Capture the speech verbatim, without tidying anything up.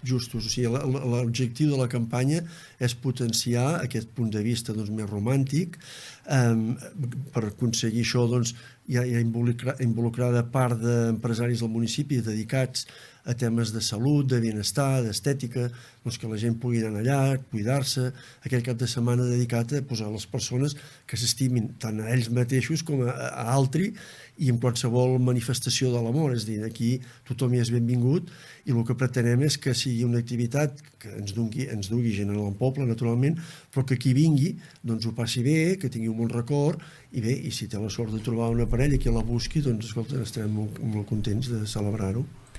justos. O sigui, l'objectiu de la campanya és potenciar aquest punt de vista doncs, més romàntic. Um, per aconseguir això doncs, hi ha, hi ha involucra, involucrada part d'empresaris del municipi dedicats a temes de salut, de benestar, d'estètica, doncs que la gent pugui anar allà, cuidar-se, aquell cap de setmana dedicat a posar les persones que s'estimin tant a ells mateixos com a, a altri i en qualsevol manifestació de l'amor. És a dir, aquí tothom hi és benvingut i el que pretenem és que sigui una activitat que ens dugui, ens dugui gent al poble, naturalment, però que qui vingui doncs ho passi bé, que tingui un bon record i bé, i si té la sort de trobar una parella que la busqui, doncs escolta, estarem molt, molt contents de celebrar-ho.